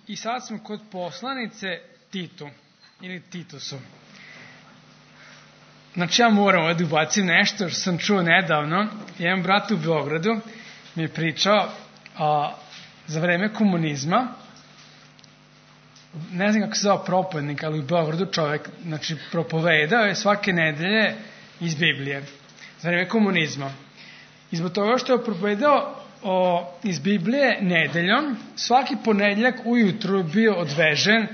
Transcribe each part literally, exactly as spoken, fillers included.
I sad smo kod poslanice Titu, ili Titusu. Znači ja moram ovdje ubacim nešto što sam čuo nedavno. Jedan brat u Beogradu mi je pričao a, za vreme komunizma, ne znam kako se zove propovednik, ali u Beogradu čovjek, znači, propovedao je svake nedelje iz Biblije za vreme komunizma. I zbog toga što je propovedao o, iz Biblije nedeljom, svaki ponedjeljak ujutru je bio odvežen,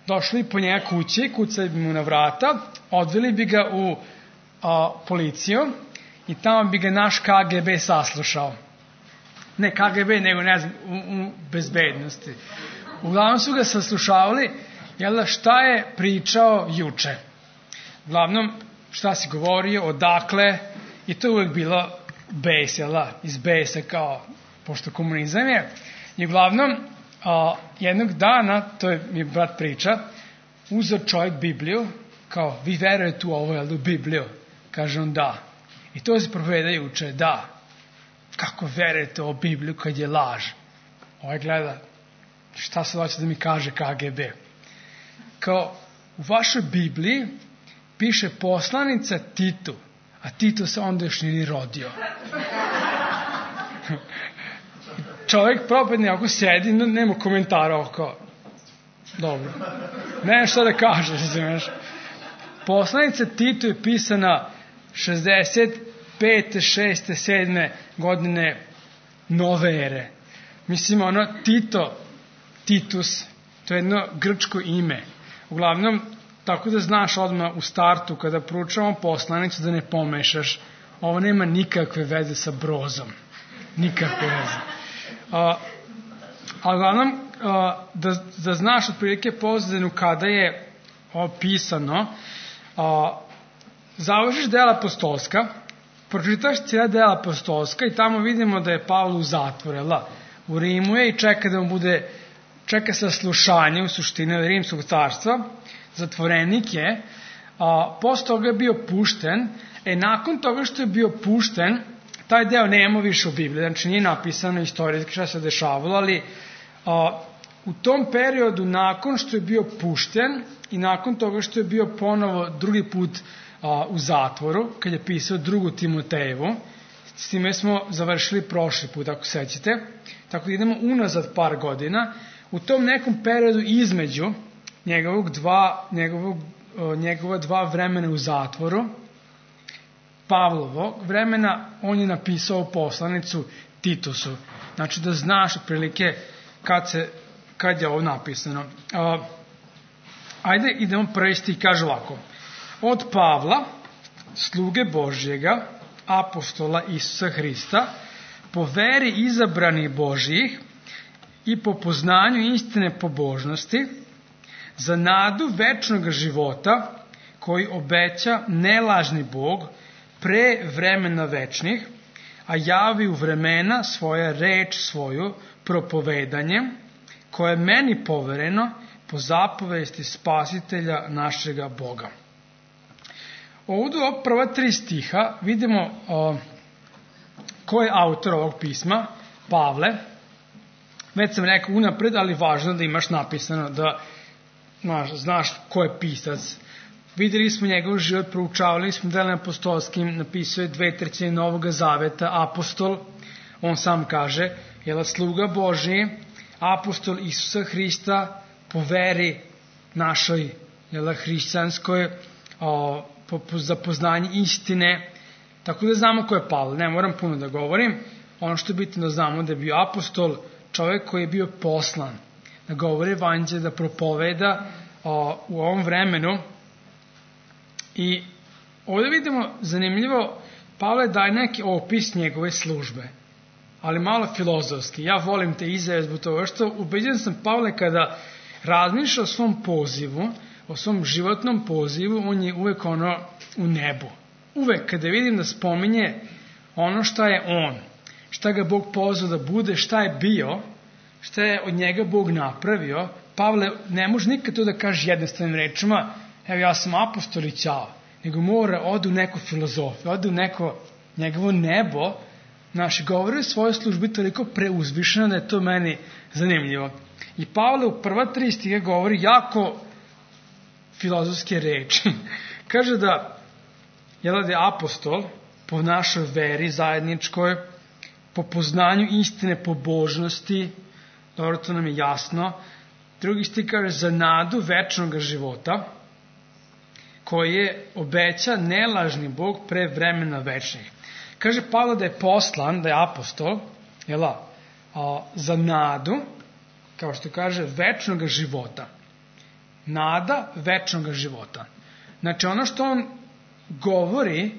došli po njega kući, kucali bi mu na vrata, odveli bi ga u a, policiju i tamo bi ga naš K G B saslušao. Ne K G B, nego ne znam, u, u bezbednosti. Uglavnom su ga saslušavali, jel da, šta je pričao juče. Uglavnom, šta si govorio, odakle, i to je uvijek bilo bes, jel da, iz besa kao, pošto komunizam je. I uglavnom, a, jednog dana, to je mi brat priča, uzeo čovjek Bibliju, kao, vi verujete u ovo, jel da, u Bibliju? Kaže on, da. I to se propoveda juče, da. Kako verujete u Bibliju kad je laž? Ovaj gleda, šta se hoće da mi kaže K G B? Kao, u vašoj Bibliji piše poslanica Titu, a Tito se onda još nije rodio. Čovjek propadne ako sedi, nema komentara oko. Dobro. Ne šta da kaže, razumiješ. Poslanica Titu je pisana šezdeset pete, šeste, sedme godine nove ere. Mislim, ono, Tito, Titus, to je jedno grčko ime. Uglavnom, tako da znaš odmah u startu, kada proučavamo poslanicu, da ne pomešaš. Ovo nema nikakve veze sa Brozom. Nikakve veze. A, a uglavnom, a, da, da znaš otprilike pozadinu kada je opisano, a, završiš dela apostolska, pročitaš cijela dela apostolska i tamo vidimo da je Pavle u zatvoru, jel' u Rimu je i čeka da mu bude, čeka saslušanje u suštini Rimskog carstva, zatvorenik je, a, posle toga je bio pušten, e nakon toga što je bio pušten, taj deo nema više u Bibliji, znači nije napisano istorijski šta se dešavalo, ali a, u tom periodu nakon što je bio pušten i nakon toga što je bio ponovo drugi put a, u zatvoru, kad je pisao drugu Timotejevu, s time smo završili prošli put, ako sećate, tako da idemo unazad par godina, u tom nekom periodu između njegovog dva, njegovog, njegova dva vremena u zatvoru, Pavlovog vremena, on je napisao poslanicu Titusu. Znači da znaš otprilike kad, se, kad je ovo napisano. A, ajde idemo prvi stih, kaže ovako. Od Pavla, sluge Božjega, apostola Isusa Hrista, po veri izabranih Božjih i po poznanju istine pobožnosti, za nadu večnog života koji obeća nelažni Bog pre vremena večnih, a javi u vremena svoja reč svoju propovedanjem, koje je meni povereno po zapovesti spasitelja našega Boga. Ovdje u prva tri stiha vidimo o, ko je autor ovog pisma, Pavle. Već sam rekao unapred, ali važno da imaš napisano, da znaš, znaš ko je pisac. Vidjeli smo njegov život, proučavali smo delom apostolskim, napisao je dve trećine Novog Zaveta, apostol, on sam kaže, jel, sluga Božji, apostol Isusa Hrista, po veri našoj, jel, hrišćanskoj, o, po, po, za poznanje istine, tako da znamo ko je Pavle, ne moram puno da govorim, ono što je bitno da znamo da je bio apostol, čovjek koji je bio poslan, da govori evanđelje, da propoveda o, u ovom vremenu. I ovdje vidimo zanimljivo, Pavle daje neki opis njegove službe, ali malo filozofski. Ja volim te izjave zbog toga što ubeđen sam Pavle kada razmišlja o svom pozivu, o svom životnom pozivu, on je uvek ono u nebu. Uvek kada vidim da spominje ono šta je on, šta ga Bog pozvao da bude, šta je bio, šta je od njega Bog napravio, Pavle ne može nikad to da kaže jednostavnim rečima, evo ja sam apostol i ćao, nego mora ode u neku filozofiju, ode u neko njegovo nebo, Naši govori o svojoj službi toliko preuzvišeno da je to meni zanimljivo. I Pavle u prva tri stiha govori jako filozofske reči. Kaže da je da je apostol po našoj veri zajedničkoj, po poznanju istine, po božnosti, dobro, to nam je jasno. Drugi stih kaže za nadu večnog života, koji je obeća nelažni Bog pre vremena večnih. Kaže Pavle da je poslan, da je apostol, jela, a, za nadu, kao što kaže, večnog života. Nada večnog života. Znači ono što on govori,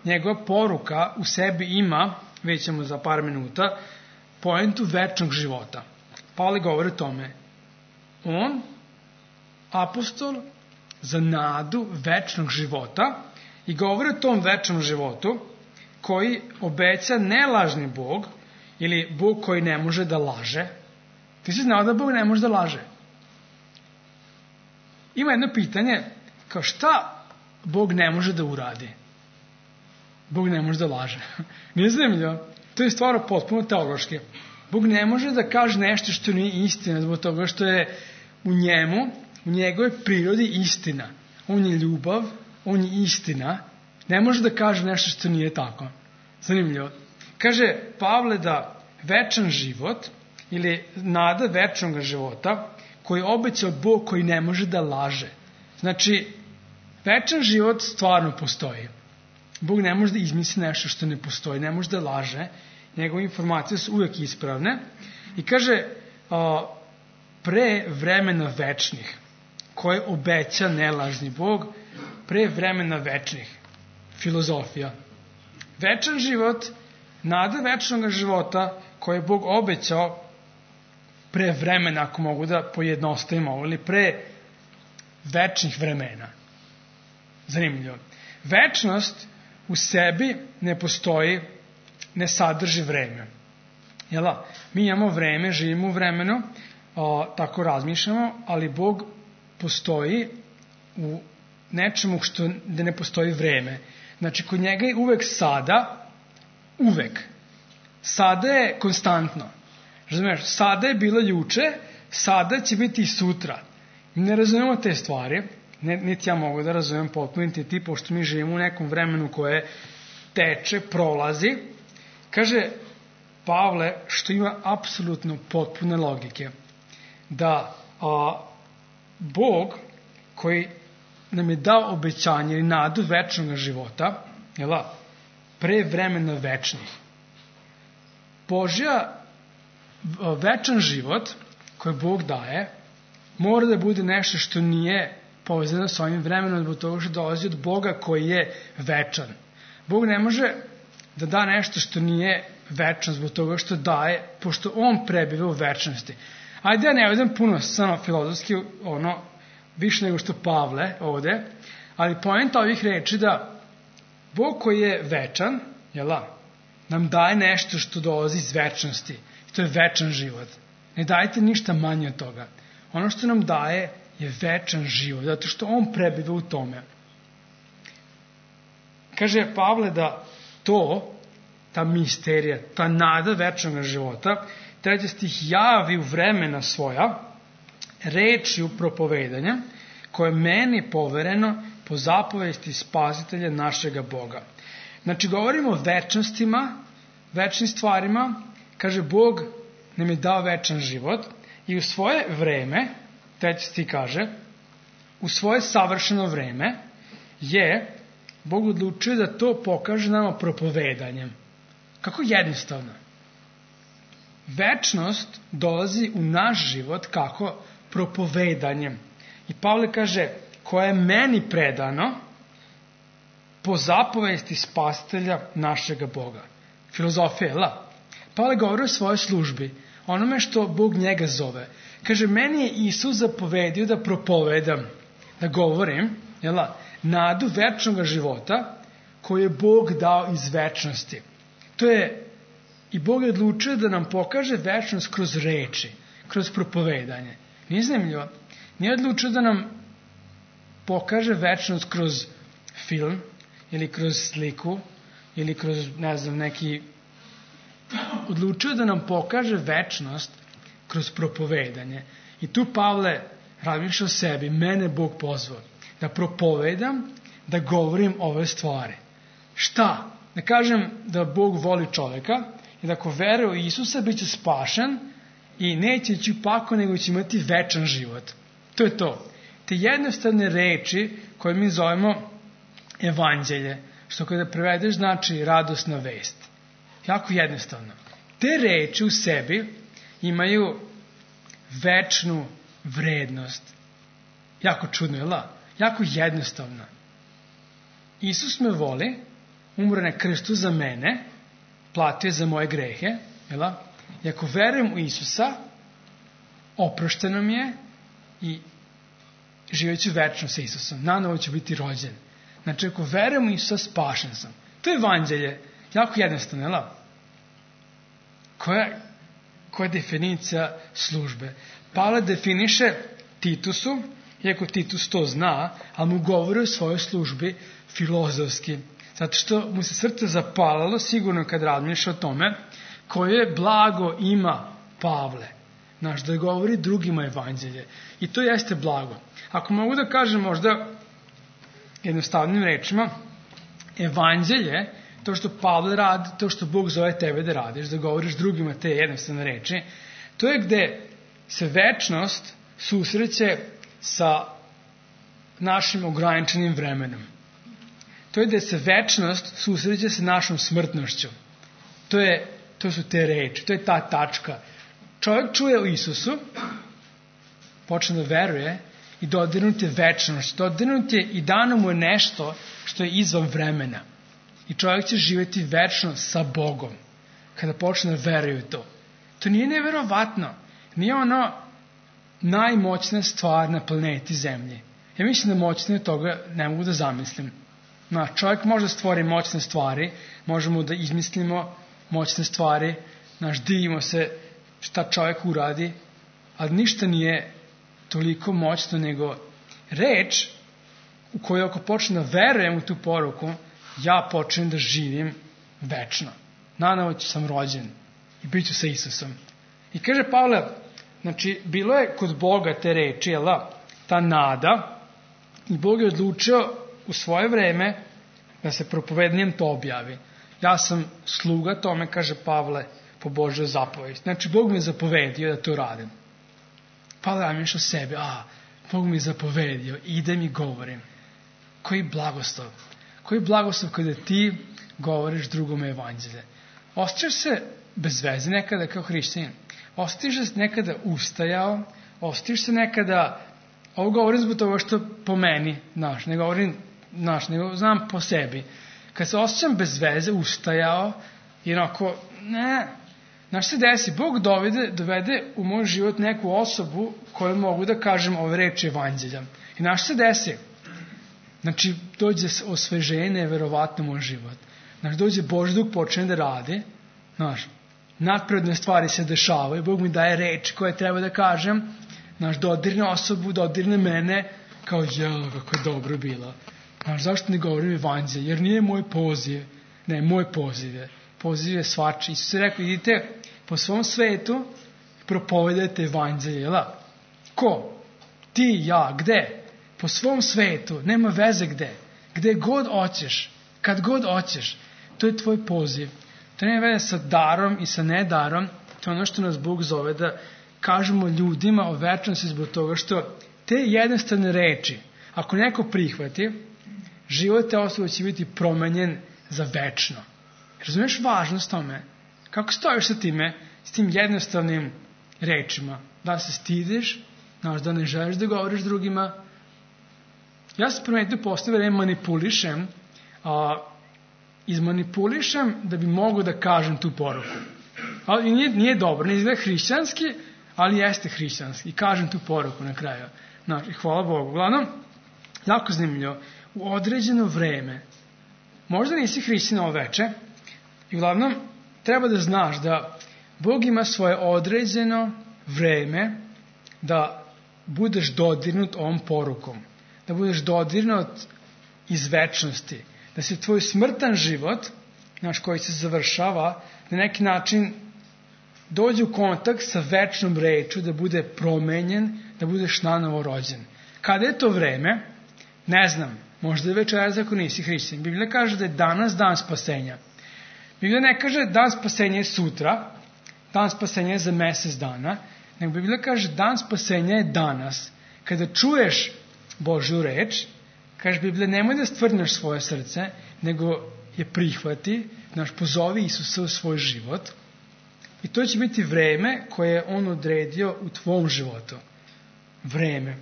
njegova poruka u sebi ima, vidjet ćemo za par minuta, pojentu večnog života. Pavle govori o tome. On, apostol, za nadu večnog života i govori o tom večnom životu koji obeća nelažni Bog ili Bog koji ne može da laže. Ti si znao da Bog ne može da laže? Ima jedno pitanje, kao šta Bog ne može da uradi? Bog ne može da laže. Nije zanimljivo? To je stvarno potpuno teološki. Bog ne može da kaže nešto što nije istina zbog toga što je u njemu, u njegovoj prirodi istina. On je ljubav, on je istina. Ne može da kaže nešto što nije tako. Zanimljivo. Kaže Pavle da večan život ili nada večnog života koji obećao Bog koji ne može da laže. Znači, večan život stvarno postoji. Bog ne može da izmisli nešto što ne postoji, ne može da laže. Njegove informacije su uvijek ispravne. I kaže, a, pre vremena večnih, koje obeća nelažni Bog, pre vremena večnih. Filozofija. Večan život, nada večnog života, koje je Bog obećao pre vremena, ako mogu da pojednostavim ovo, ili pre večnih vremena. Zanimljivo. Večnost u sebi ne postoji, ne sadrži vreme. Jela? Mi imamo vreme, živimo u vremenu, o, tako razmišljamo, ali Bog postoji u nečemu što da ne postoji vreme. Znači, kod njega je uvek sada, uvek. Sada je konstantno. Razumiješ, sada je bilo juče, sada će biti i sutra. Ne razumemo te stvari, ne, niti ja mogu da razumem potpuno, niti ti, pošto mi živimo u nekom vremenu koje teče, prolazi. Kaže Pavle, što ima apsolutno potpune logike, da a, Bog koji nam je dao obećanje ili nadu večnog života, jela, pre vremena večnih. Božja večan život koji Bog daje mora da bude nešto što nije povezano s ovim vremenom, zbog toga što dolazi od Boga koji je večan. Bog ne može da da nešto što nije večno zbog toga što daje, pošto on prebiva u večnosti. Ajde, ja ne vedem puno samo filozofski, ono, više nego što Pavle ovde, ali poenta ovih reči da Bog koji je večan, jela, nam daje nešto što dolazi iz večnosti. I to je večan život. Ne dajte ništa manje od toga. Ono što nam daje je večan život, zato što on prebiva u tome. Kaže Pavle da to, ta misterija, ta nada večnog života, treći stih javi u vremena svoja, rečju propovedanja, koje je meni povereno po zapovesti spasitelja našega Boga. Znači, govorimo o večnostima, večnim stvarima, kaže Bog nam je dao večan život i u svoje vreme, treći stih kaže, u svoje savršeno vreme je Bog odlučio da to pokaže nama propovedanjem. Kako jednostavno. Večnost dolazi u naš život kako propovedanjem. I Pavle kaže, koje je meni predano po zapovesti spasitelja našega Boga. Filozofija, la. Pavle govori o svojoj službi, onome što Bog njega zove. Kaže, meni je Isus zapovedio da propovedam, da govorim, jela, nadu večnog života koju je Bog dao iz večnosti. To je, i Bog je odlučio da nam pokaže večnost kroz reči, kroz propovedanje. Nije zanimljivo. Nije odlučio da nam pokaže večnost kroz film, ili kroz sliku, ili kroz, ne znam, neki odlučio da nam pokaže večnost kroz propovedanje. I tu Pavle razmišlja o sebi, mene Bog pozvao da propovedam, da govorim ove stvari. Šta? Da kažem da Bog voli čoveka i da ako veruje u Isusa bit će spašen i neće ići u pakao, nego će imati večan život. To je to. Te jednostavne reči koje mi zovemo evanđelje, što kada prevedeš znači radosna vest. Jako jednostavno. Te reči u sebi imaju večnu vrednost. Jako čudno, je la? Jako jednostavno. Isus me voli, umro na krstu za mene, platio za moje grehe, je la? I ako verujem u Isusa, oprošteno mi je i živjet ću večno sa Isusom. Nanovo ću biti rođen. Znači, ako verujem u Isusa, spašen sam. To je evanđelje. Jako jednostavno, je la? Koja, koja je definicija službe? Pavle definiše Titusu, iako Titus to zna, ali mu govori o svojoj službi filozofski. Zato što mu se srce zapalalo, sigurno kad razmišlja o tome, koje blago ima Pavle. Znaš, da govori drugima evanđelje. I to jeste blago. Ako mogu da kažem možda jednostavnim rečima, evanđelje, to što Pavle radi, to što Bog zove tebe da radiš, da govoriš drugima te jednostavne reči, to je gde se večnost susreće sa našim ograničenim vremenom. To je gde se večnost susreće sa našom smrtnošću. To, je, to su te reči, to je ta tačka. Čovjek čuje o Isusu, počne da veruje i dodirnut je večnost. Dodirnut je i dano mu je nešto što je izvan vremena. I čovjek će živjeti večno sa Bogom kada počne da veruje u to. To nije neverovatno. Nije ono najmoćnija stvar na planeti Zemlji. Ja mislim da moćnije toga ne mogu da zamislim. No, čovjek može da stvori moćne stvari, možemo da izmislimo moćne stvari, naš divimo se šta čovjek uradi, ali ništa nije toliko moćno nego reč u kojoj ako počnem da verujem u tu poruku, ja počnem da živim večno. Nanovo ću sam rođen i bit ću sa Isusom. I kaže Pavle, znači, bilo je kod Boga te reči, jela, ta nada, i Bog je odlučio u svoje vreme da se propovednijem to objavi. Ja sam sluga tome, kaže Pavle, po Božjoj zapovesti. Znači, Bog mi je zapovedio da to radim. Pavle ramiš o sebi, a, Bog mi je zapovedio, idem i govorim. Koji blagoslov. Koji blagoslov kada ti govoriš drugome evanđelje. Osjećaš se bez veze nekada kao hrišćanin. Osjećaš se nekada ustajao, osjećaš se nekada, ovo govorim zbog toga što po meni, znaš, ne govorim, znaš, nego znam po sebi. Kad se osjećam bez veze, ustajao, i onako, ne, znaš se desi, Bog dovede, dovede u moj život neku osobu koju mogu da kažem ove reči evanđelja. I znaš se desi, znači, dođe osveženje, neverovatno moj život. Znaš, dođe Božji duh, počne da radi, znaš, nadprirodne stvari se dešavaju, Bog mi daje reči koje treba da kažem, znaš, dodirne osobu, dodirne mene, kao, jel, kako je dobro bilo. Znaš, zašto ne govorim evanđelje? Jer nije moj poziv, ne, moj poziv je. Poziv je svači. Isus je rekao, idite po svom svetu i propovedajte evanđelje, jel? Ko? Ti, ja, gde? Po svom svetu, nema veze gde. Gde god hoćeš, kad god hoćeš, to je tvoj poziv. To nema veze sa darom i sa nedarom, to je ono što nas Bog zove da kažemo ljudima o večnosti zbog toga što te jednostavne reči, ako neko prihvati, život te osobe će biti promenjen za večno. Razumiješ važnost tome? Kako stojiš sa time, s tim jednostavnim rečima? Da se stidiš, znaš, da ne želiš da govoriš drugima. Ja sam primetio postavio da manipulišem, a, izmanipulišem da bi mogu da kažem tu poruku. Ali nije, nije dobro, ne izgleda hrišćanski, ali jeste hrišćanski. I kažem tu poruku na kraju. Znaš, i hvala Bogu. Uglavnom, jako zanimljivo, u određeno vreme, možda nisi hrišćan ovo veče, i uglavnom, treba da znaš da Bog ima svoje određeno vreme da budeš dodirnut ovom porukom, da budeš dodirnut iz večnosti, da se tvoj smrtan život naš, koji se završava, na neki način dođe u kontakt sa večnom rečju, da bude promenjen, da budeš nanovo rođen. Kada je to vreme? Ne znam, možda je večeras ako nisi hrišćanin. Biblija kaže da je danas dan spasenja. Biblija ne kaže dan spasenja je sutra, dan spasenja je za mesec dana, nego Biblija kaže dan spasenja je danas. Kada čuješ Božju reč, kaže Biblija, nemoj da stvrdneš svoje srce, nego je prihvati, znaš, pozovi Isusa u svoj život. I to će biti vreme koje je on odredio u tvom životu. Vreme.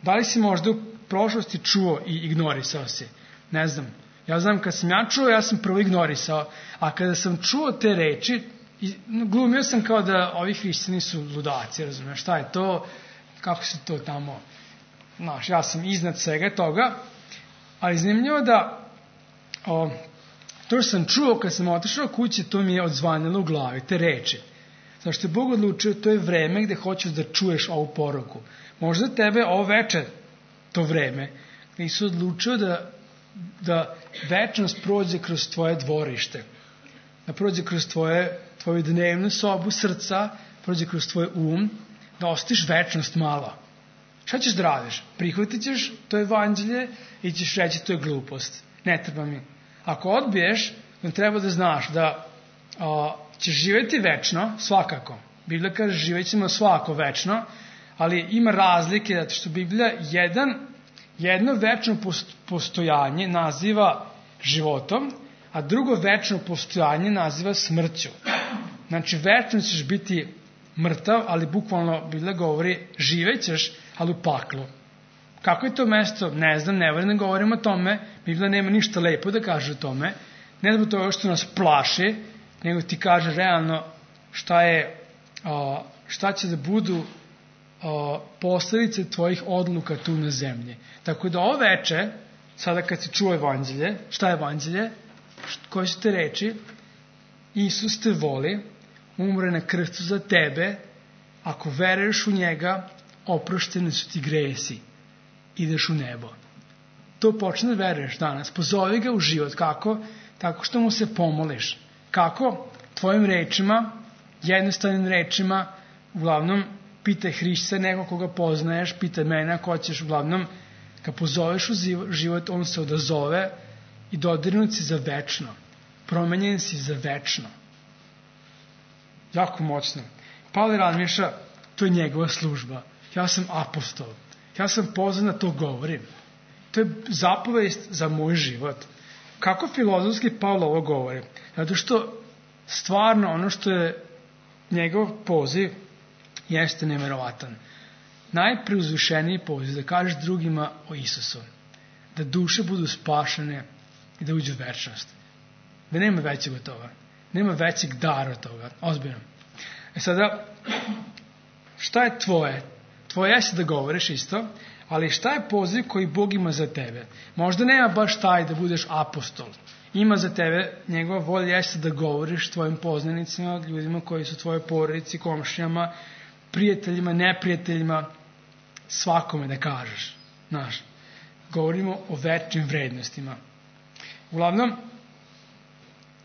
Da li si možda u prošlosti čuo i ignorisao si? Ne znam. Ja znam, kad sam ja čuo, ja sam prvo ignorisao, a kada sam čuo te reči, glumio sam kao da ovi hrišćani su ludaci, razumiješ, šta je to, kako se to tamo, znaš, ja sam iznad svega toga, ali zanimljivo da o, to što sam čuo kad sam otišao kući, to mi je odzvanilo u glavi, te reči. Zašto je Bog odlučio, to je vreme gde hoćeš da čuješ ovu poruku. Možda tebe ovo veče, to vreme, gde si odlučio da, da večnost prođe kroz tvoje dvorište, da prođe kroz tvoje, tvoju dnevnu sobu srca, prođe kroz tvoj um, da ostiš večnost malo. Šta ćeš da radiš? Prihvatit ćeš to evanđelje i ćeš reći to je glupost. Ne treba mi. Ako odbiješ, onda treba da znaš da a, ćeš živjeti večno, svakako. Biblija kaže živjet ćemo svako večno, ali ima razlike, zato što Biblija jedan, jedno večno postojanje naziva životom, a drugo večno postojanje naziva smrću. Znači, večno ćeš biti mrtav, ali bukvalno Biblija govori živećeš, ali u paklu. Kako je to mesto? Ne znam, ne volim da govorim o tome. Biblija nema ništa lepo da kaže o tome. Ne zbog toga što nas plaši, nego ti kaže realno šta je, šta će da budu posledice tvojih odluka tu na zemlji. Tako da ovo veče, sada kad si čuo evanđelje, šta je evanđelje? Koje su te reči? Isus te voli, umre na krstu za tebe, ako veruješ u njega, oprošteni su ti gresi, ideš u nebo. To počne da veruješ danas. Pozovi ga u život. Kako? Tako što mu se pomoliš. Kako? Tvojim rečima, jednostavnim rečima, uglavnom pitaj Hrišća, nego koga poznaješ, pitaj mene ako ćeš, uglavnom kad pozoveš u život, on se odazove i dodirnut si za večno. Promenjen si za večno. Jako moćno. Pavle razmišlja, to je njegova služba. Ja sam apostol. Ja sam pozvan da to govorim. To je zapovest za moj život. Kako filozofski Pavle ovo govori? Zato što stvarno ono što je njegov poziv jeste neverovatan. Najpreuzvišeniji poziv da kažeš drugima o Isusu. Da duše budu spašene i da uđu u večnost. Da nema većeg od toga. Nema većeg dara od toga. Ozbiljno. E sada, šta je tvoje? Tvoje jeste da govoriš isto, ali šta je poziv koji Bog ima za tebe? Možda nema baš taj da budeš apostol. Ima za tebe, njegova volja jeste da govoriš tvojim poznanicima, ljudima koji su tvoje porodici, komšijama, prijateljima, neprijateljima, svakome da kažeš. Znaš, govorimo o večnim vrednostima. Uglavnom,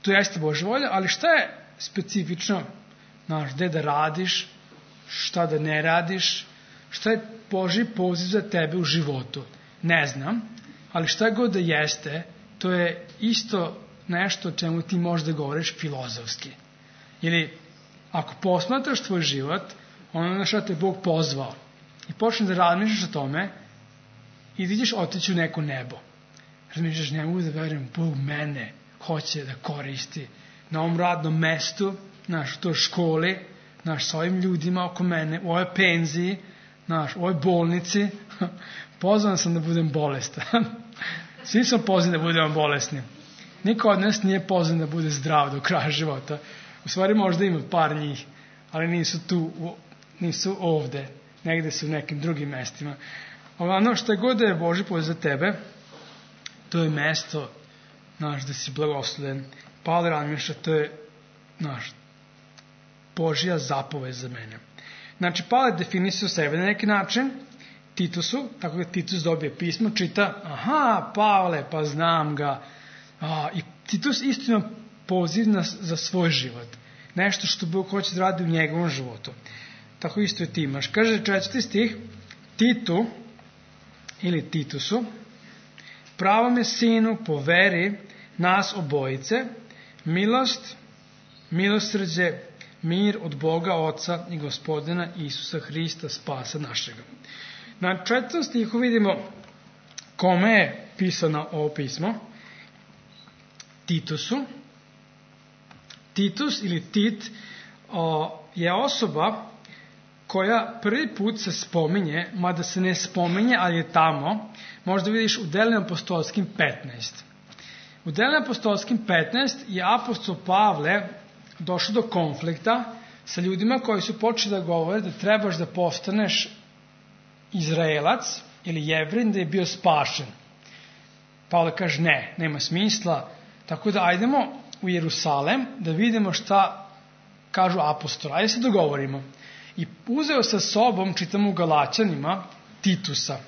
to jeste Božja volja, ali šta je specifično, znaš, gde da radiš, šta da ne radiš, šta je Božji poziv za tebe u životu? Ne znam, ali šta god da jeste, to je isto nešto o čemu ti možeš da govoriš filozofski. Ili, ako posmatraš tvoj život, ono na šta te Bog pozvao i počneš da razmišljaš o tome i vidiš otići u neko nebo. Razmišljaš, ne mogu da verujem, Bog mene hoće da koristi na ovom radnom mestu, naš, u toj školi, naš, sa ovim ljudima oko mene, u ovoj penziji, naš, u ovoj bolnici. Pozvan sam da budem bolestan. Svi smo pozvani da budemo bolesni. Niko od nas nije pozvan da bude zdrav do kraja života. U stvari možda ima par njih, ali nisu tu, nisu ovde. Negde su u nekim drugim mestima. Ono što je god da je Božji poziv za tebe, to je mesto, znaš, da si blagosloven. Pavle razmišlja, to je, znaš, Božja zapovest za mene. Znači, Pavle definisao sebe na neki način, Titusu, tako da Titus dobije pismo, čita, aha, Pavle, pa znam ga. A, I Titus isto ima poziv na, za svoj život. Nešto što Bog hoće da radi u njegovom životu. Tako isto i ti imaš. Kaže četvrti stih, Titu ili Titusu, pravome sinu po veri nas obojice, milost, milosrđe, mir od Boga Oca i Gospodina Isusa Hrista, spasa našega. Na četvrtom stihu vidimo kome je pisano ovo pismo. Titusu. Titus ili Tit o, je osoba koja prvi put se spominje, mada se ne spominje, ali je tamo, možda vidiš u Delima apostolskim petnaest. U Delima apostolskim petnaest je apostol Pavle došao do konflikta sa ljudima koji su počeli da govore da trebaš da postaneš Izraelac ili Jevrin da je bio spašen. Pavle kaže ne, nema smisla, tako da ajdemo u Jerusalem da vidimo šta kažu apostoli. Ajde se dogovorimo. I uzeo sa sobom, čitamo u Galaćanima, Titusa,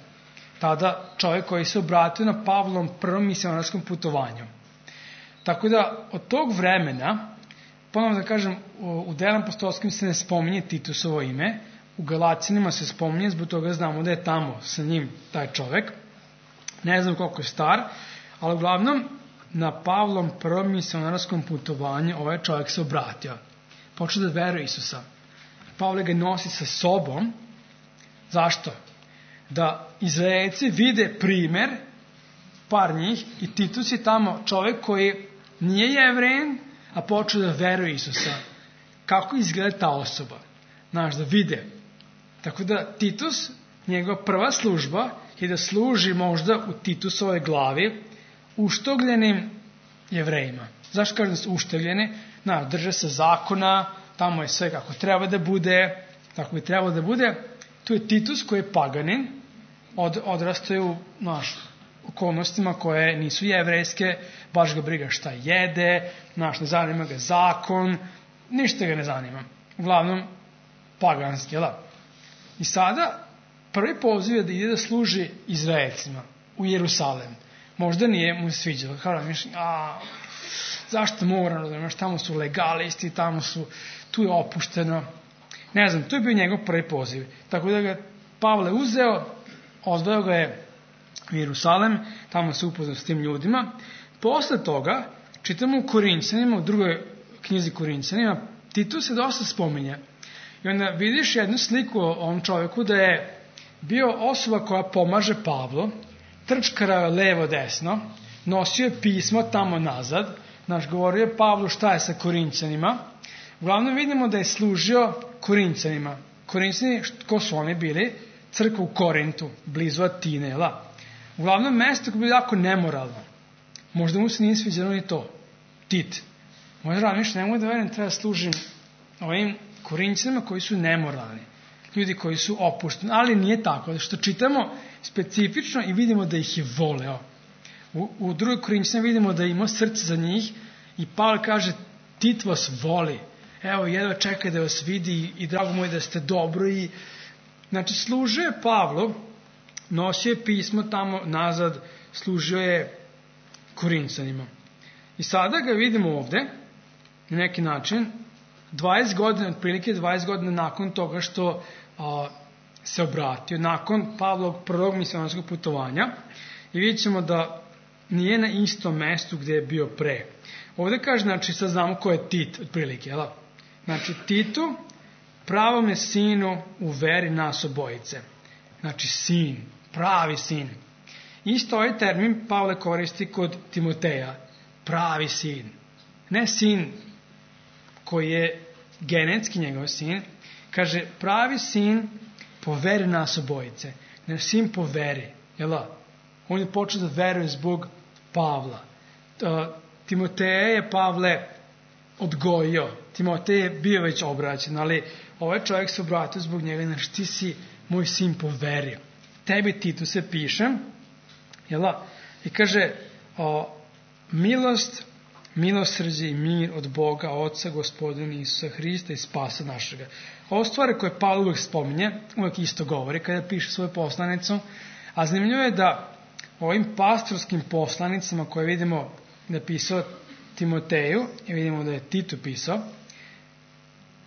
tada čovjek koji se obratio na Pavlovom prvom misionarskom putovanju. Tako da od tog vremena, ponovno da kažem, u Delima apostolskim se ne spominje Titusovo ime, u Galaćanima se spominje, zbog toga znamo da je tamo sa njim taj čovjek. Ne znam koliko je star, ali uglavnom na Pavlom prvom misionarskom putovanju ovaj čovjek se obratio. Počeo da veruje Isusa. Pavle ga nosi sa sobom. Zašto? Da Izraelci vide primer, par njih, i Titus je tamo čovjek koji nije Jevrein, a počeo da veruje Isusa. Kako izgleda ta osoba? Znaš, da vide. Tako da Titus, njegova prva služba je da služi možda u Titusovoj glavi uštogljenim Jevrejima. Zašto kažem da su uštogljeni? Znaš, drže se zakona, tamo je sve kako treba da bude, tako bi trebalo da bude. Tu je Titus koji je paganin, od, odrastaju u naš, okolnostima koje nisu jevrejske, baš ga briga šta jede, naš, ne zanima ga zakon, ništa ga ne zanima. Uglavnom, paganski, jel da? I sada, prvi poziv je da ide da služi Izraelcima u Jerusalem. Možda nije mu sviđalo. Kao da mišljam, a zašto moram, razumiješ, tamo su legalisti, tamo su, tu je opušteno. Ne znam, to je bio njegov prvi poziv. Tako da ga Pavle uzeo, odveo ga je u Jerusalem, tamo se upoznao s tim ljudima. Posle toga, čitamo u Korinćanima, u drugoj knjizi Korinćanima, Titus se dosta spominje. I onda vidiš jednu sliku o ovom čovjeku da je bio osoba koja pomaže Pavlu, trčkarao je levo desno, nosio je pismo tamo nazad, naš govorio je Pavlu šta je sa Korinćanima. Uglavnom vidimo da je služio Korinćanima. Korinćani, ko su oni bili? Crkva u Korintu, blizu Atine. Uglavnom mesto koje je bilo jako nemoralno. Možda mu se nije sviđalo ni to. Tit. Možda razmišljam, ne mogu da verujem, treba služim ovim Korinćanima koji su nemoralni. Ljudi koji su opušteni. Ali nije tako. Što čitamo specifično i vidimo da ih je voleo. U, u drugoj Korinćanima vidimo da je imao srce za njih i Pavle kaže Tit vas voli. Evo, jedva čeka da vas vidi i, i drago mu je da ste dobro. I, znači, služio je Pavlu, nosio je pismo tamo nazad, služio je Korinćanima. I sada ga vidimo ovde, na neki način, dvadeset godina, otprilike dvadeset godina nakon toga što a, se obratio, nakon Pavlovog prvog misionarskog putovanja, i vidjet ćemo da nije na istom mestu gde je bio pre. Ovde kaže, znači, sad znamo ko je Tit, otprilike, jel? Znači, Titu, pravome sinu u veri nas obojice. Znači, sin, pravi sin. Isto ovaj termin Pavle koristi kod Timoteja, pravi sin. Ne sin koji je genetski njegov sin, kaže, pravi sin po veri nas obojice. Ne sin po veri, jel? On je počeo da veruje zbog Pavla. Timoteja je Pavle odgojio. Timotej je bio već obraćen, ali ovaj čovjek se obratio zbog njega, znači ti si moj sin po veri. Tebi Titu se pišem, jel? I kaže, o, milost, milosrđe i mir od Boga, Oca, Gospodina Isusa Hrista i spasa našega. Ovo stvari koje Pavle uvijek spominje, uvijek isto govori kada piše svoju poslanicu, a zanimljivo je da ovim pastorskim poslanicama koje vidimo napisao Timoteju, i vidimo da je Tito pisao,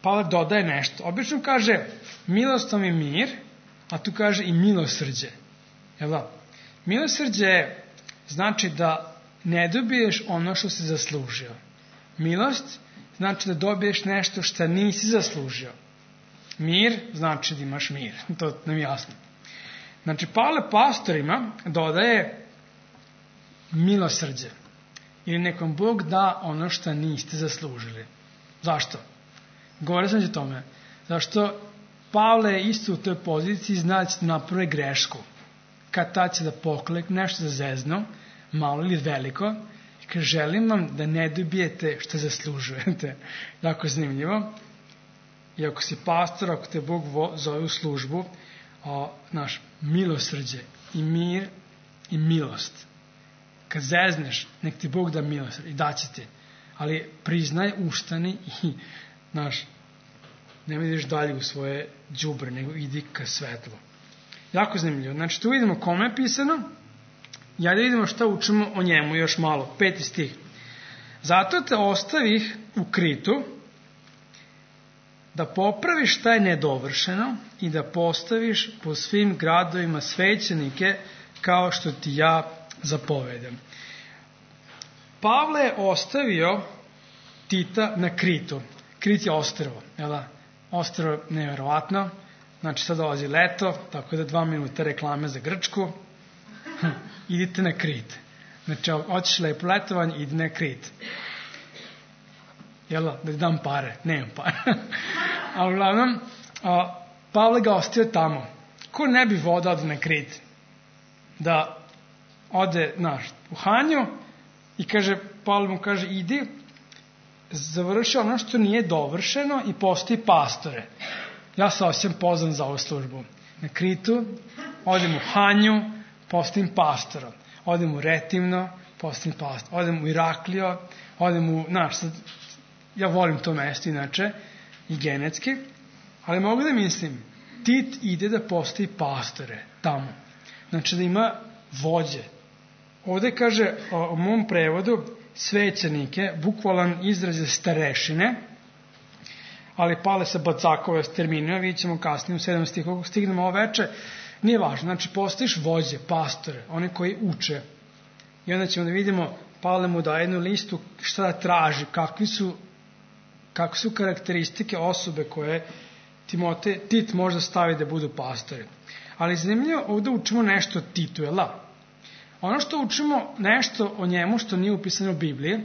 Pavle dodaje nešto. Obično kaže milost vam i mir, a tu kaže i milosrđe. Jel da? Milosrđe znači da ne dobiješ ono što si zaslužio. Milost znači da dobiješ nešto što nisi zaslužio. Mir znači da imaš mir. To nam je jasno. Znači, Pavle pastorima dodaje milosrđe. Ili nekom Bog da ono što niste zaslužili. Zašto? Govore sam o tome. Zašto Pavle je isto u toj poziciji, zna da ćete napraviti grešku. Kad ta će da poklekne, nešto da zezno, malo ili veliko, i kaže, želim vam da ne dobijete što zaslužujete. Jako zanimljivo. I ako si pastor, ako te Bog zove u službu, o, naš milosrđe i mir i milost. Kad zezneš, nek ti Bog da milost i daće ti. Ali priznaj, ustani i, naš, ne vidiš dalje u svoje đubre, nego idi ka svetlu. Jako zanimljivo. Znači, tu vidimo kome je pisano. Ja da vidimo šta učimo o njemu još malo. Peti stih. Zato te ostavih u Kritu, da popraviš šta je nedovršeno i da postaviš po svim gradovima svećenike kao što ti ja zapovedam. Pavle je ostavio Tita na Kritu. Krit je ostrvo. Jel? Ostrvo nevjerovatno. Znači sad dolazi leto, tako da dva minuta reklame za Grčku. Idite na Krit. Znači, hoćeš lepo letovanje, idi na Krit. Jel, da ti dam pare? Nemam pare. A uglavnom, a, Pavle ga ostio tamo. Ko ne bi voda ode na Krit? Da ode, znaš, u Hanju i kaže, Pavle mu kaže, idi, završi ono što nije dovršeno i postoji pastore. Ja se osjećam pozvan za ovu službu. Na Kritu, odem u Hanju, postojim pastorom. Odem u Retimno, postojim pastorom. Odem u Iraklio, odem u, znaš, sad, ja volim to mesto inače, i genetski, ali mogu da mislim, Tit ide da postoji pastore tamo. Znači da ima vođe. Ovde kaže o, o mom prevodu svećenike, bukvalan izraz je starešine, ali pale se bacakove s terminima, vidjet ćemo kasnije u sedam stihu, kako stignemo ovo veče, nije važno. Znači postojiš vođe, pastore, one koji uče. I onda ćemo da vidimo, Pavle mu daje jednu listu šta da traži, kakvi su kakve su karakteristike osobe koje Timote, Tit možda stavi da budu pastori. Ali zanimljivo, ovdje učimo nešto o Titu, je la? Ono što učimo nešto o njemu što nije upisano u Bibliji,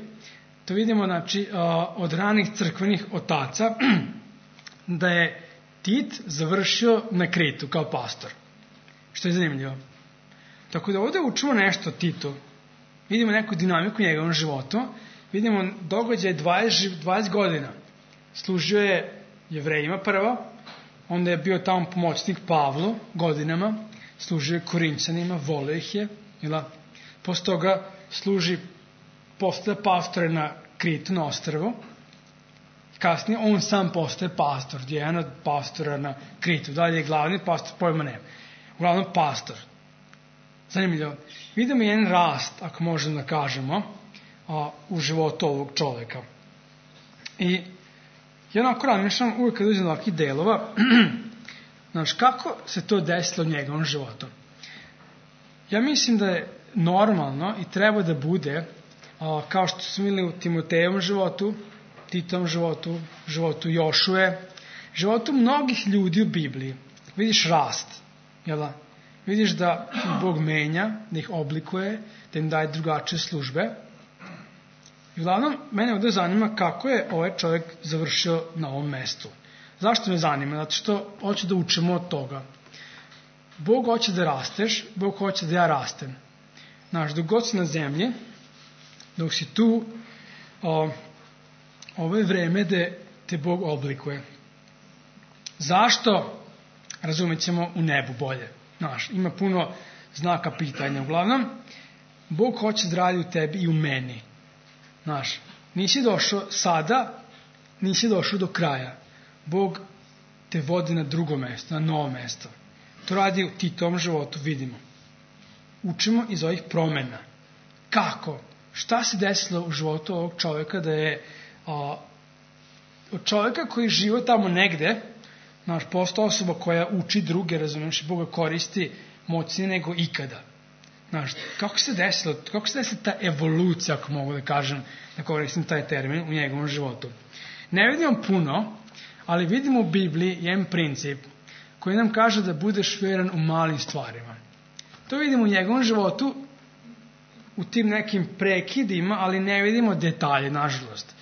to vidimo, znači, od ranih crkvenih otaca, da je Tit završio na Kritu kao pastor. Što je zanimljivo. Tako da ovdje učimo nešto o Titu. Vidimo neku dinamiku njegovom životu. Vidimo događaj dvadeset, dvadeset godina. Služio je Jevrejima prvo, onda je bio tamo pomoćnik Pavlu godinama, služio je Korinćanima, volio ih je, jel? Posle toga služi, postaje pastore na Kritu, na ostrvu. Kasnije on sam postaje pastor, jedan od pastora na Kritu. Dalje je glavni pastor, pojma nema. Uglavnom pastor. Zanimljivo. Vidimo jedan rast, ako možemo da kažemo, a, u životu ovog čoveka. I ja onako razmišljam uvijek kad uđem do ovakvih delova, znaš, kako se to desilo u njegovom životu? Ja mislim da je normalno i treba da bude, a, kao što smo vidjeli u Timotejevom životu, Titovom životu, životu Jošue, životu mnogih ljudi u Bibliji. Vidiš rast, jel da? Vidiš da Bog menja, da ih oblikuje, da im daje drugačije službe. I uglavnom, mene ovdje zanima kako je ovaj čovjek završio na ovom mestu. Zašto me zanima? Zato što hoće da učimo od toga. Bog hoće da rasteš, Bog hoće da ja rastem. Znaš, dok god si na zemlji, dok si tu, o, ovo je vreme da te Bog oblikuje. Zašto? Razumjet ćemo u nebu bolje. Znaš, ima puno znaka pitanja. Uglavnom, Bog hoće da radi u tebi i u meni. Znaš, nisi došao sada, nisi došao do kraja. Bog te vodi na drugo mesto, na novo mesto. To radi u Titovom životu, vidimo. Učimo iz ovih promena. Kako? šta se desilo u životu ovog čovjeka da je a, od čovjeka koji živo tamo negde, znaš, postao osoba koja uči druge, razumiješ, Boga koristi moćnije nego ikada. Znaš, kako se desilo, kako se desila ta evolucija, ako mogu da kažem, da koristim taj termin, u njegovom životu. Ne vidimo puno, ali vidimo u Bibliji jedan princip koji nam kaže da budeš vjeran u malim stvarima. To vidimo u njegovom životu, u tim nekim prekidima, ali ne vidimo detalje, nažalost.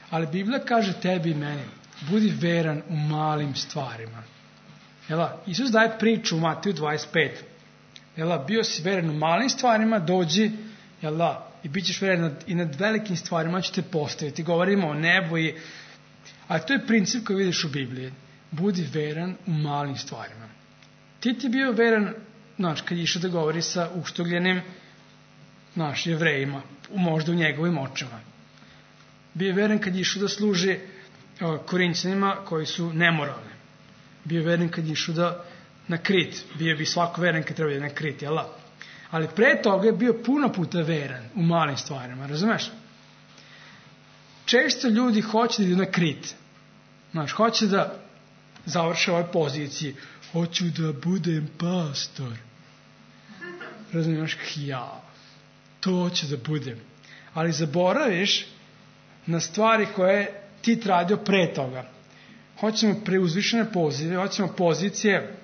Ali Biblija kaže tebi i meni, budi veran u malim stvarima. Jela, Isus daje priču u Mateju dvadeset pet. Jela, bio si veran u malim stvarima, dođi, jela, i bit ćeš veran nad, i nad velikim stvarima ćete postaviti. Govorimo o nebu i... A to je princip koji vidiš u Bibliji. Budi veran u malim stvarima. Ti ti bio veran, znači, kad je išao da govori sa uštugljenim, znaš, jevrejima, možda u njegovim očima. Bio je veran kad je išao da služi Korinćanima koji su nemoralni. Bio je veran kad je išao da na Krit. Bio bi svako veran kad treba na Krit, jel? Ali pre toga je bio puno puta veran u malim stvarima, razumeš? Često ljudi hoće da idu na Krit. Znaš, hoće da završe ovoj poziciji. Hoću da budem pastor. Razumiješ? Ja. To hoću da budem. Ali zaboraviš na stvari koje ti radio pre toga. Hoćemo preuzvišene pozive, hoćemo pozicije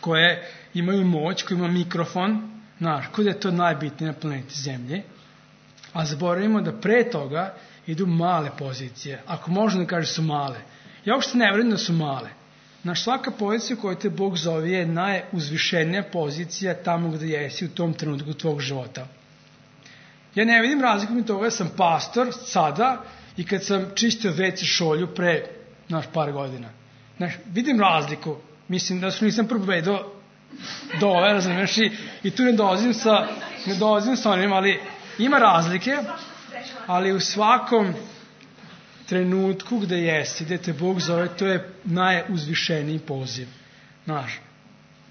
koje imaju moć, koje ima mikrofon, znaš, kod je to najbitnije na planeti Zemlji, a zaboravimo da pre toga idu male pozicije. Ako možemo da kažeš su male. Ja uopšte ne vjerujem da su male. Znaš, svaka pozicija koju te Bog zove je najuzvišenija pozicija tamo gde jesi u tom trenutku tvog života. Ja ne vidim razliku mi toga, ja sam pastor sada i kad sam čistio ve ce šolju pre, znaš, par godina. Znaš, vidim razliku. Mislim da su nisam propovedao do ove, razumiješ, i, i tu ne dolazim sa, ne dolazim sa onim, ali ima razlike, ali u svakom trenutku gde jesi, gde te Bog zove, to je najuzvišeniji poziv. Znaš,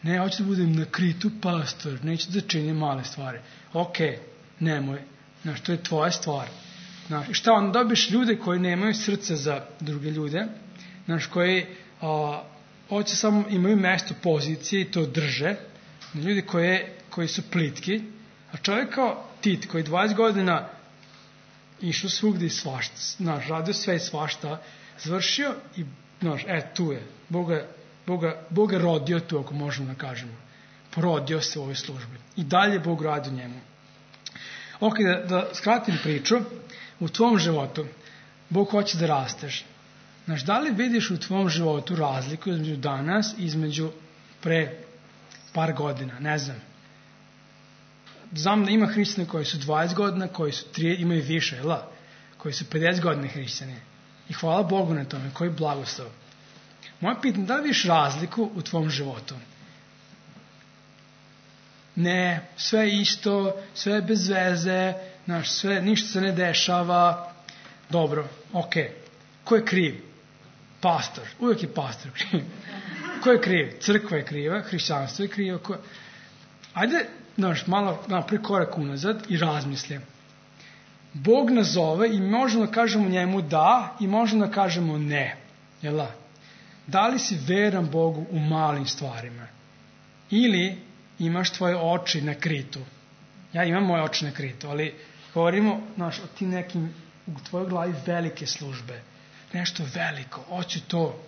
ne, hoću da budem na Kritu pastor, neću da činim male stvari. Ok, nemoj, znaš, to je tvoja stvar. Znaš, i šta onda dobiš ljude koji nemaju srce za druge ljude, znaš, koji a, hoće samo imaju mesto pozicije i to drže, ljudi koje, koji su plitki, a čovjek kao Tit koji dvadeset godina išao svugdje i svašta, znaš, radio sve i svašta, završio i, znaš, e, tu je, Boga, Boga, Boga rodio tu, ako možemo da kažemo, porodio se u ovoj službi i dalje Bog radi u njemu. Ok, da, da skratim priču, u tvom životu Bog hoće da rasteš. Znaš, da li vidiš u tvom životu razliku između danas i između pre par godina, ne znam. Znam da ima hrišćana koji su dvadeset godina, koji su tri, imaju više, jel? Koji su pedeset godina hrišćani. I hvala Bogu na tome, koji blagoslov. Moje pitanje, da li vidiš razliku u tvom životu? Ne, sve isto, sve bez veze, znaš, sve, ništa se ne dešava. Dobro, ok. Ko je kriv? Pastor. Uvijek je pastor kriv. Ko je kriv? Crkva je kriva, hrišćanstvo je krivo. Ko... Ajde, znaš, malo naprijed korak unazad i razmislim. Bog nas zove i možemo da kažemo njemu da i možemo da kažemo ne. Jel' da? Da li si veran Bogu u malim stvarima? Ili imaš tvoje oči na Kritu? Ja imam moje oči na Kritu, ali govorimo, znaš, o ti nekim u tvojoj glavi velike službe. Nešto veliko, hoću to.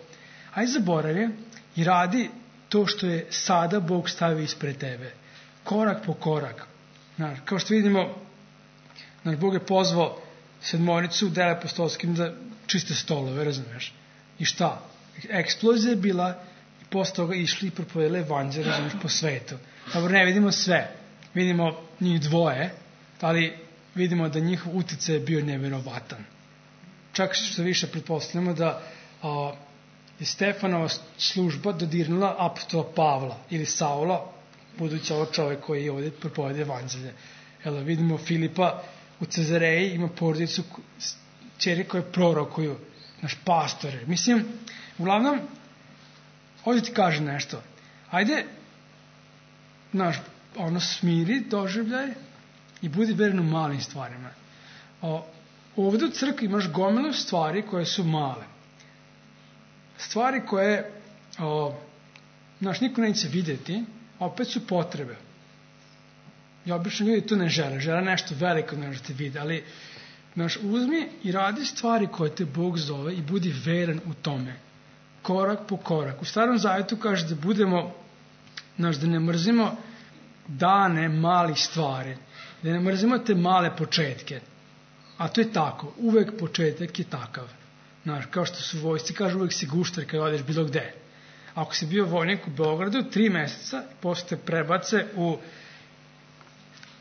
Ajde zaboravi i radi to što je sada Bog stavio ispred tebe. Korak po korak. Znaš, kao što vidimo, znaš, Bog je pozvao sedmoricu u dele apostolskim da čiste stolove, razumiješ? I šta? Eksplozija je bila i posle toga išli i propovedali evanđelje, razumiješ, po svetu. Dobro, ne vidimo sve. Vidimo njih dvoje, ali vidimo da njihov uticaj je bio nevjerovatan. Čak što više pretpostavljamo da a, je Stefanova služba dodirnula apostola Pavla ili Saula, budući ovo čovjek koji je ovdje propovede evanđelje. Evo, vidimo Filipa u Cezareji, ima porodicu čeri koje prorokuju, naš pastore. Mislim, uglavnom, ovdje ti kaže nešto. Ajde, naš, ono, smiri doživljaj i budi veren u malim stvarima. O, ovde u crkvi imaš gomilu stvari koje su male. Stvari koje, o, znaš, niko neće vidjeti, a opet su potrebe. I obično ljudi to ne žele, žele nešto veliko da te vide, ali znaš, uzmi i radi stvari koje te Bog zove i budi veran u tome. Korak po korak. U Starom Zavjetu kaže da budemo, znaš, da ne mrzimo dane malih stvari, da ne mrzimo te male početke. A to je tako, uvek početak je takav. Znaš, kao što su vojsci, kažu uvek si gušter kada odeš bilo gde. Ako si bio vojnik u Beogradu, tri meseca, posle te prebace u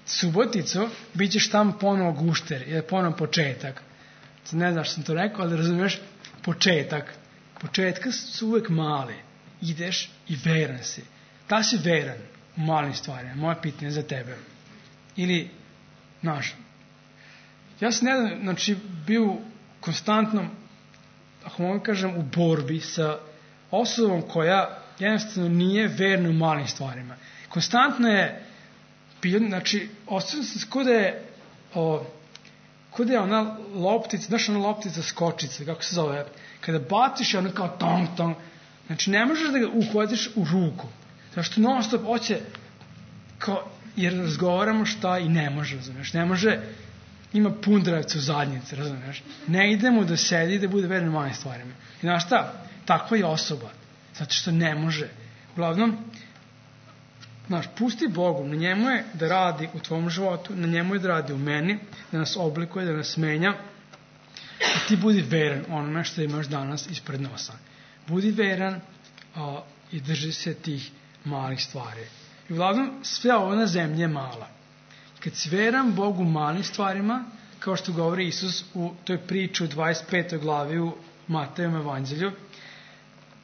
Suboticu, bit ćeš tamo ponovo gušter, jer je ponovo početak. Ne znaš što sam to rekao, ali razumiješ, početak. Početka su uvek male. Ideš i veran si. Da si veran u malim stvarima. Moje pitanje za tebe. Ili, znaš, ja sam nedavno, znači, bio konstantno, ako mogu kažem, u borbi sa osobom koja jednostavno nije verna u malim stvarima. Konstantno je bio, znači, osjećam se kod da je, o, kod da je ona loptica, znaš ona loptica skočica, kako se zove, kada baciš je ono kao tong tong, znači ne možeš da ga uhvatiš u ruku, zašto non stop hoće, kao, jer razgovaramo šta i ne može, razumiješ, ne može, ima pundravcu u zadnjici, razumiješ, ne idemo da sedi i da bude veran u malim stvarima. I znaš šta, takva je osoba, zato što ne može. Uglavnom, znaš, pusti Bogu, na njemu je da radi u tvom životu, na njemu je da radi u meni, da nas oblikuje, da nas menja, i ti budi veran onome što imaš danas ispred nosa. Budi veran a, i drži se tih malih stvari. I uglavnom, sve ovo na zemlji je mala. Kad si veran Bogu u malim stvarima, kao što govori Isus u toj priči u dvadeset petoj glavi u Matejevom evanđelju,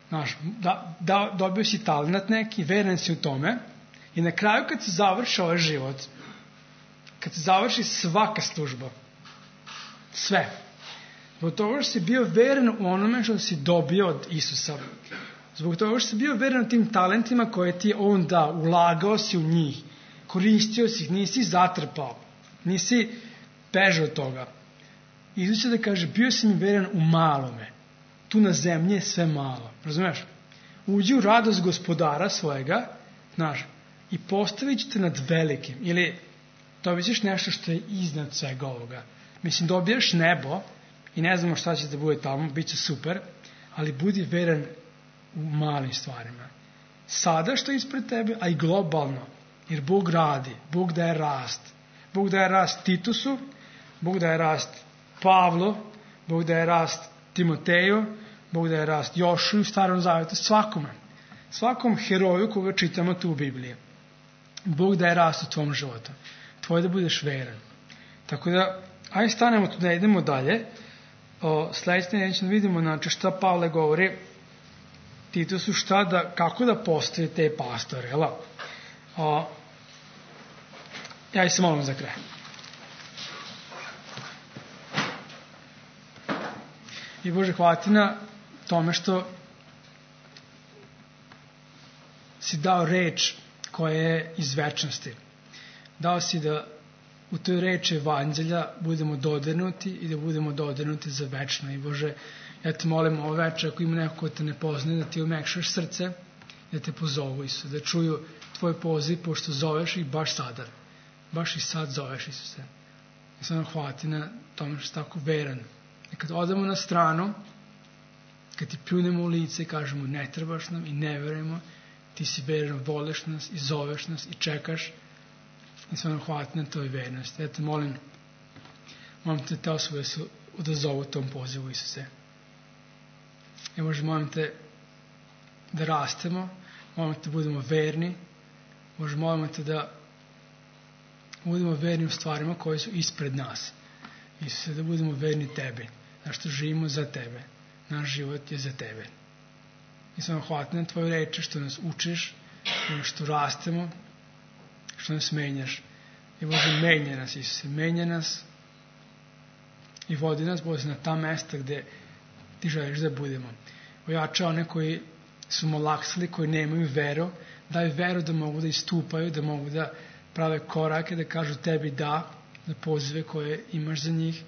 znaš, da, da, dobio si talent neki, veran si u tome, i na kraju kad se završi ovaj život, kad se završi svaka služba, sve, zbog toga što si bio veran u onome što si dobio od Isusa, zbog toga što si bio veran u tim talentima koje ti je on dao, ulagao si u njih, koristio si ih, nisi zatrpao, nisi bežao od toga. Isus će da kaže, bio si mi veran u malome, tu na zemlji je sve malo, razumiješ? Uđi u radost gospodara svojega, znaš, i postavit ćete nad velikim, ili dobit ćeš nešto što je iznad svega ovoga. Mislim, dobijaš nebo i ne znamo šta će da bude tamo, bit će super, ali budi veran u malim stvarima. Sada što je ispred tebe, a i globalno, jer Bog radi, Bog daje rast. Bog daje rast Titusu, Bog daje rast Pavlu, Bog daje rast Timoteju, Bog daje rast Jošu u Starom Zavjetu, svakome. Svakom heroju koga čitamo tu u Bibliji. Bog daje rast u tvom životu. Tvoje da budeš veran. Tako da, ajde stanemo tu da idemo dalje. O, sledeće neće da vidimo, znači, šta Pavle govori Titusu, šta da, kako da postoje te pastore. Jela? O, ja se molim za kraj. I Bože, hvala ti na tome što si dao reč koja je iz večnosti. Dao si da u toj reči evanđelja budemo dodirnuti i da budemo dodirnuti za večno. I Bože, ja te molim ovo večer, ako ima neko ko te ne poznaje, da ti omekšaš srce, da te pozovu, Isus, da čuju tvoj poziv, pošto zoveš ih baš sada. Baš i sad zoveš, Isuse. I sam hvala ti na tome što si tako veran. I kad odemo na stranu, kad ti pljunemo u lice i kažemo ne trebaš nam i ne verujemo, ti si veran, voliš nas i zoveš nas i čekaš, i sam hvala ti na toj vernosti. Ja te molim, molim te te osobe su odazovu tom pozivu, Isuse. I možda molim te da rastemo, molim te da budemo verni, možda molimo te da budemo verni u stvarima koje su ispred nas. Isuse, da budemo verni tebi, znaš što živimo za tebe, naš život je za tebe. I sam hvala ti na tvoje reči, što nas učiš, što rastemo, što nas menjaš. I Bože, menja nas, Isuse, menja nas i vodi nas, Bože, na ta mesta gde ti želiš da budemo. Ojača one koji su malaksali, koji nemaju veru, daju veru da mogu da istupaju, da mogu da prave korake, da kažu tebi da za pozive koje imaš za njih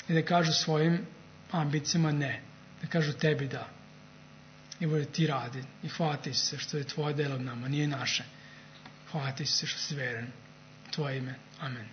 i da kažu svojim ambicijama ne, da kažu tebi da i bude ti radi i hvala ti se što je tvoje delo nama, nije naše. Hvala ti se što si veren. Tvoje ime. Amen.